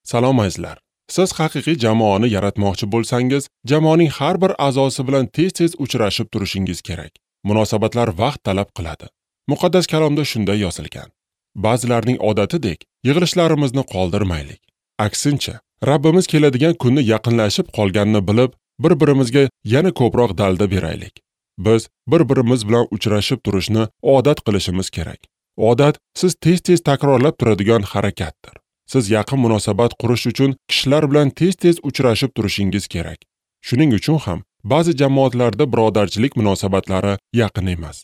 Salom azizlar. Siz haqiqiy jamoani yaratmoqchi bo'lsangiz, jamoaning har bir a'zosi bilan tez-tez uchrashib turishingiz kerak. Munosabatlar vaqt talab qiladi. Muqaddas kalomda shunday yozilgan. Ba'zilarning odatidek yig'ilishlarimizni qoldirmaylik. Aksincha, Rabbimiz keladigan kunni yaqinlashib qolganini bilib, bir-birimizga yana ko'proq dalda beraylik. Biz bir-birimiz bilan uchrashib turishni odat qilishimiz kerak. Odat siz tez-tez takrorlab turadigan harakatdir. Siz yaqin munosabat qurish uchun kishilar bilan tez-tez uchrashib turishingiz kerak. Shuning uchun ham ba'zi jamoatlarda birodarchilik munosabatlari yaqin emas.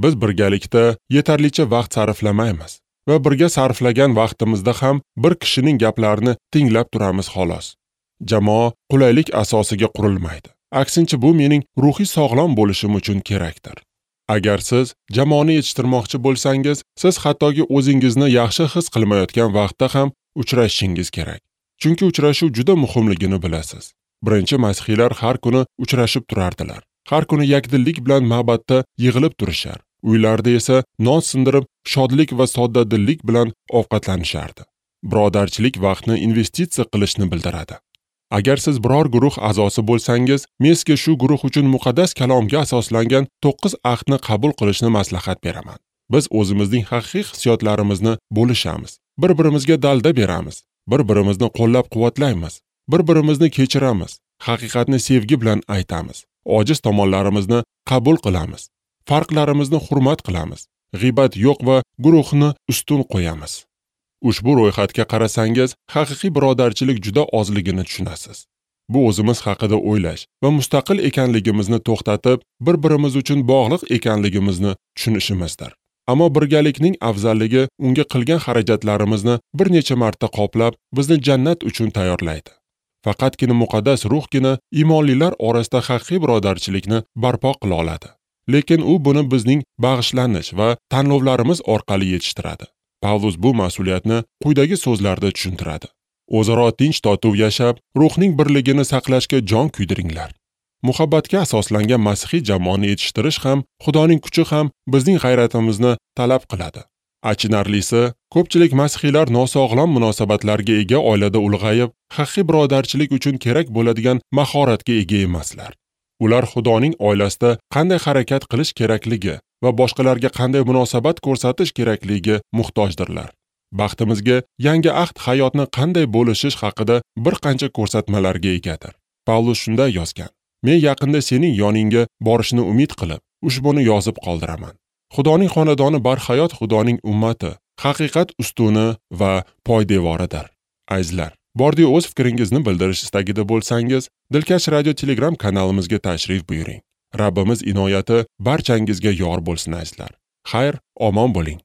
Biz birgalikda yetarlicha vaqt sarflamaymiz va birga sarflagan vaqtimizda ham bir kishining gaplarini tinglab turamiz xolos. Jamoa qulaylik asosiga qurilmaydi. Aksincha, bu mening ruhiy sog'lom bo'lishim uchun kerakdir. Agar siz jamoani yetishtirmoqchi bo'lsangiz, siz hattoki o'zingizni yaxshi his qilmayotgan vaqtda ham uchrashishingiz kerak. Chunki uchrashuv juda muhimligini bilasiz. Birinchi masihiylar har kuni uchrashib turardilar. Har kuni yakdillik bilan ma'batda yig'ilib turishar. Uylarda esa non sindirib, shodlik va soddadillik bilan ovqatlanishardi. Birodarchilik vaqtni investitsiya qilishni bildiradi. Agar siz biror guruh a'zosi bo'lsangiz, men sizga shu guruh uchun muqaddas kalomga asoslangan 9 ahdni qabul qilishni maslahat beraman. Biz o'zimizning haqiqiy hissiyotlarimizni bo'lishamiz. Bir-birimizga dalda beramiz, bir-birimizni qo'llab-quvvatlaymiz, bir-birimizni kechiramiz, haqiqatni sevgi bilan aytamiz, ojiz tomonlarimizni qabul qilamiz, farqlarimizni hurmat qilamiz, g'iybat yo'q va guruhni ustun qo'yamiz. Ushbu ro'yxatga qarasangiz, haqiqiy birodarchilik juda ozligini tushunasiz. Bu o'zimiz haqida o'ylash va mustaqil ekanligimizni to'xtatib, bir-birimiz uchun bog'liq ekanligimizni tushunishimizdir. Ammo birgalikning afzalligi unga qilgan xarajatlarimizni bir necha marta qoplab, bizni jannat uchun tayyorlaydi. Faqatgina muqaddas ruhgina iymonlilar orasida haqiqiy birodarchilikni barpo qila oladi. Lekin u buni bizning bag'ishlanish va tanlovlarimiz orqali yetishtiradi. Pavlus bu mas'uliyatni quyidagi so'zlarda tushuntiradi. O'zaro tinch totuv yashab, ruhning birligini saqlashga jon kuydiringlar. Muhabbatga asoslangan masihiy jamoani yetishtirish ham, Xudoning kuchi ham bizning g'ayratimizni talab qiladi. Achinarlisi, ko'pchilik masihiylar nosog'lom munosabatlarga ega oilada ulg'ayib, haqiqiy birodarchilik uchun kerak bo'ladigan mahoratga ega emaslar. Ular Xudoning oilasida qanday harakat qilish kerakligi va boshqalarga qanday munosabat ko'rsatish kerakligiga muhtojdirlar. Baxtimizga, yangi ahd hayotni qanday bo'lishish haqida bir qancha ko'rsatmalarga egadir. Pavlus shunday yozgan: Men yaqinda sening yoningga borishni umid qilib, ushbuni yozib qoldiraman. Xudoning xonadoni barhayot Xudoning ummati, haqiqat ustuni va poydevoridir. Azizlar, bordi o'z fikringizni bildirish istagida bo'lsangiz, Dilkash Radio Telegram kanalimizga tashrif buyuring. Rabbimiz inoyati barchangizga yor bo'lsin azizlar. Xayr, omon bo'ling.